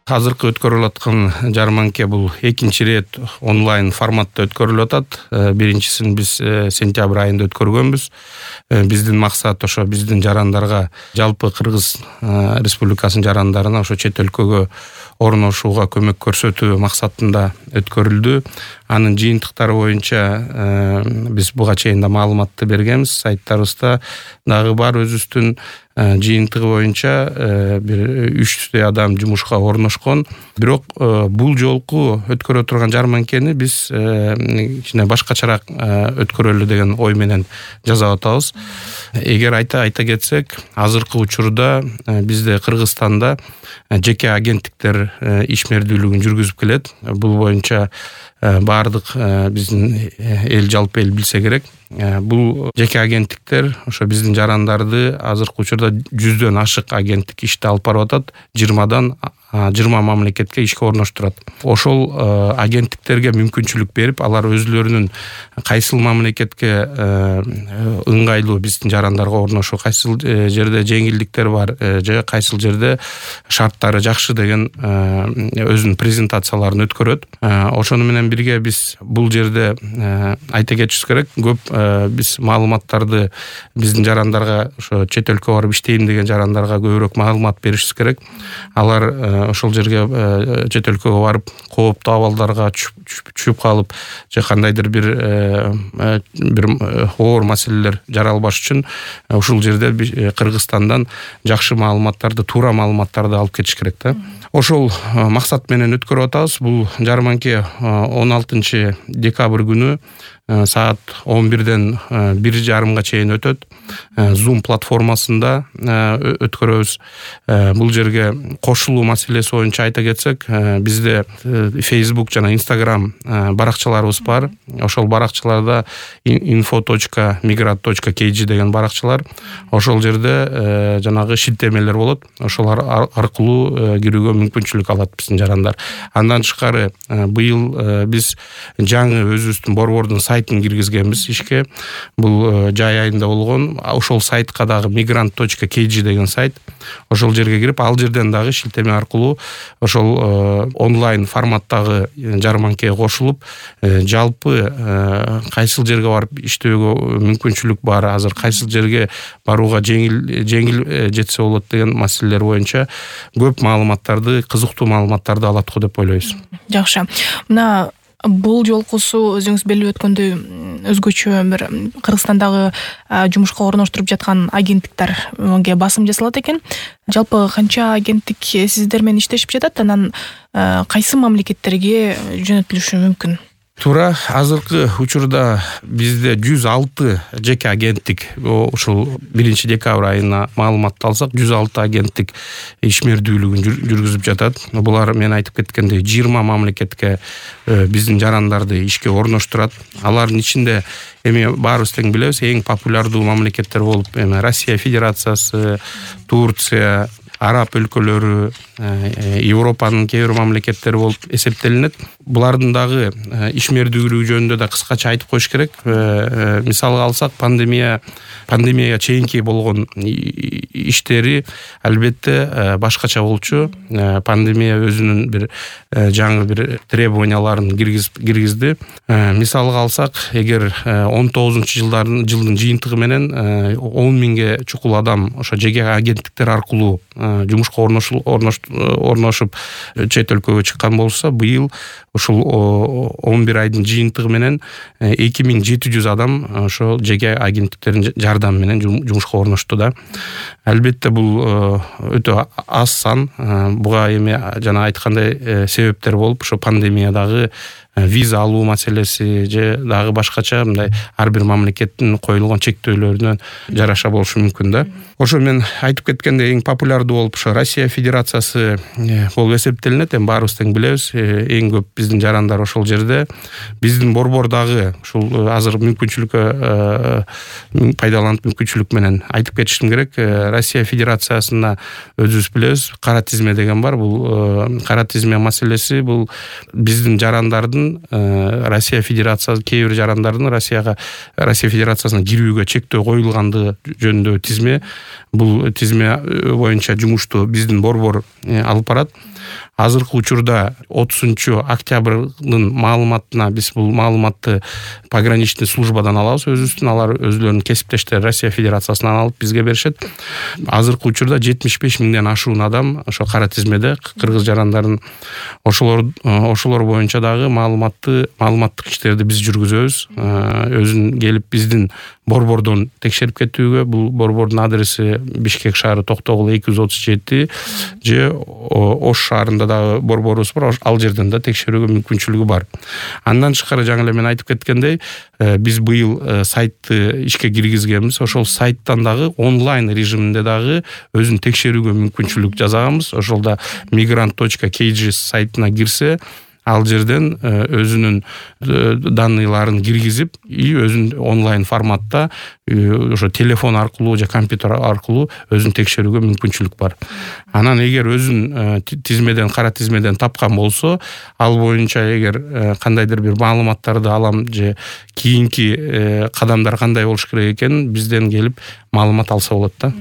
Азыркы өткөрүлүп аткан жарманке бул экинчи ирет онлайн форматта өткөрүлүп атат. Биринчисин биз сентябрь айында өткөргөнбүз. Биздин максат ошо биздин жарандарга, жалпы Кыргыз Республикасынын жарандарына ошо чет өлкөгө орношууга көмөк көрсөтүү максатында өткөрүлдү. Анын жыйынтыктары боюнча биз буга чейин да маалыматты бергенбиз. Сайттарыбызда дагы бар өзүбүздүн жыйынтыгы боюнча бир 300 адам жумушка орношкон. Бирок бул жолку өткөрө турган жарманкени биз кичине башкачараак өткөрөлү деген ой менен жасап атабыз. Эгер айта кетсек, азыркы учурда бизде Кыргызстанда жеке агенттиктер ишмердүүлүгүн жүргүзүп келет. Бул боюнча баардык биздин жалпы эл билсе керек. Бул жеке агенттиктер ошо биздин жарандарды азыркы учурда 100дөн ашык агенттик ишти алып барып атат. 20 мамлекетке ишке орноштурат. Ошол агенттиктерге мүмкүнчүлүк берип, алар өзлөрүнүн кайсыл мамлекетке ыңгайлуу биздин жарандарга орношуу, кайсыл жерде жеңилдиктер бар, же кайсыл жерде шарттары жакшы деген өзүнүн презентацияларын өткөрөт. Ошону менен бирге биз бул жерде айта кетишибиз керек, көп биз маалыматтарды биздин жарандарга, ошо чет өлкөгө барып иштейм деген жарандарга көбүрөөк маалымат беришибиз керек. Алар ошол жерге чет өлкөгө барып кооптуу абалдарга түшүп калып, же кандайдыр бир оор маселелер жаралбаш үчүн ушул жерде Кыргызстандан жакшы маалыматтарды, туура маалыматтарды алып кетиш керек да. Ошол максат менен өткөрүп атабыз. Бул жарманке 16 декабрь күнү саат 11ден 1:30 чейин өтөт. Zoom платформасында өткөрөбүз. Бул жерге кошулуу маселеси боюнча айта кетсек, бизде Facebook жана Instagram баракчаларыбыз бар. Ошол баракчаларда info.migrat.kg деген баракчалар. Ошол жерде жанагы шилтемелер болот. Ошолар аркылуу кирүүгө мүмкүнчүлүк алат биздин жарандар. Андан тышкары быйыл биз жаңы өзүбүздүн борбордун сайтын киргизгенбиз ишке. Бул жай айында болгон. Ошол сайтка дагы migrant.kg деген сайт. Ошол жерге кирип, ал жерден дагы шилтеме аркылуу ошол онлайн форматтагы жарманкеге кошулуп, жалпы кайсыл жерге барып иштөөгө мүмкүнчүлүк бар, азыр кайсыл жерге барууга жеңил жетсе болот деген маселелер боюнча көп маалыматтарды, кызыктуу маалыматтарды алат го деп ойлойбуз. Жакшы. Мына бул жолкусу өзүңүз белгилеп өткөндөй өзгөчө бир Кыргызстандагы жумушка орноштуруп жаткан агенттиктерге басым жасалат экен. Жалпы канча агенттик сиздер менен иштешип жатат, анан кайсы мамлекеттерге жөнөтүлүшү мүмкүн? Туура, азыркы учурда бизде 106 жеке агенттик, ушул 1 декабрь айына маалыматты алсак, 106 агенттик ишмердүүлүгүн жүргүзүп жатат. Булар мен айтып кеткендей 20 мамлекетке биздин жарандарды ишке орноштурат. Алардын ичинде эми баарыбыз тең билебиз, эң популярдуу мамлекеттер болуп, Россия Федерациясы, Турция, Араб өлкөлөрү, Европанын кээ бир мамлекеттери болуп эсептелинет. Булардын дагы ишмердүүлүгү жөнүндө да кыскача айтып коюш керек. Мисалга алсак, пандемияга чейинки болгон иштери албетте башкача болчу. Пандемия өзүнүн бир жаңы бир требованияларын киргизди. Мисалга алсак, эгер 19-жылдын жыйынтыгы менен 10 миңге чукул адам ошо жеке агенттиктер аркылуу жумушка орношуп чет өлкөгө чыккан болса, быйыл ушул 11 айдын жыйынтыгы менен 2700 адам ошо жеке агенттиктердин жардамы менен жумушка орношту да. Албетте бул өтө аз сан. Буга эми жана айткандай себептер болуп, ошо пандемиядагы виза алуу маселеси же дагы башкача мындай ар бир мамлекеттин коюлган чектөөлөрүнөн жараша болушу мүмкүн да. Ошо мен айтып кеткендей, эң популярдуу болуп ошо Россия Федерациясы болуп эсептелинет. Эми баарыбыз тең билебиз, эң көп биздин жарандар ошол жерде. Биздин борбор дагы ушул азыр мүмкүнчүлүккө пайдаланып, мүмкүнчүлүк менен айтып кетишим керек. Россия Федерациясына өзүбүз билебиз, кара тизме деген бар. Бул кара тизме маселеси бул биздин жарандардын Россия Федерациясы, кээ бир жарандардын Россия Федерациясына кирүүгө чектөө коюлгандыгы жөнүндө тизме. Бул тизме боюнча жумушту биздин борбор алып барат. Азыркы учурда 30-октябрдын маалыматына биз бул маалыматты пограничный службадан алабыз өзүбүздүн, алар өзүлөрүнүн кесиптештери Россия Федерациясынан алып бизге беришет. Азыркы учурда 75 миңден ашуун адам ошо кара тизмеде кыргыз жарандарын, ошолор боюнча дагы маалыматтык иштерди биз жүргүзөбүз. Өзүн келип биздин борбордон текшерип кетүүгө, бул борбордун адреси Бишкек шаары Токтогул 237 же Ош шаарында дагы борборубуз бар, ал жерден да текшерүүгө мүмкүнчүлүгү бар. Андан тышкары жаңы эле мен айтып кеткендей, биз быйыл сайтты ишке киргизгенбиз. Ошол сайттан дагы онлайн режиминде дагы өзүн текшерүүгө мүмкүнчүлүк жасаганбыз. Ошолда migrant.kg сайтына кирсе, ал жерден өзүнүн данныйларын киргизип, өзүн онлайн форматта ошо телефон аркылуу же компьютер аркылуу өзүн текшерүүгө мүмкүнчүлүк бар. Анан эгер өзүн тизмеден, кара тизмеден тапкан болсо, ал боюнча эгер кандайдыр бир маалыматтарды алам же кийинки кадамдар кандай болуш керек экенин бизден келип маалымат алса болот да.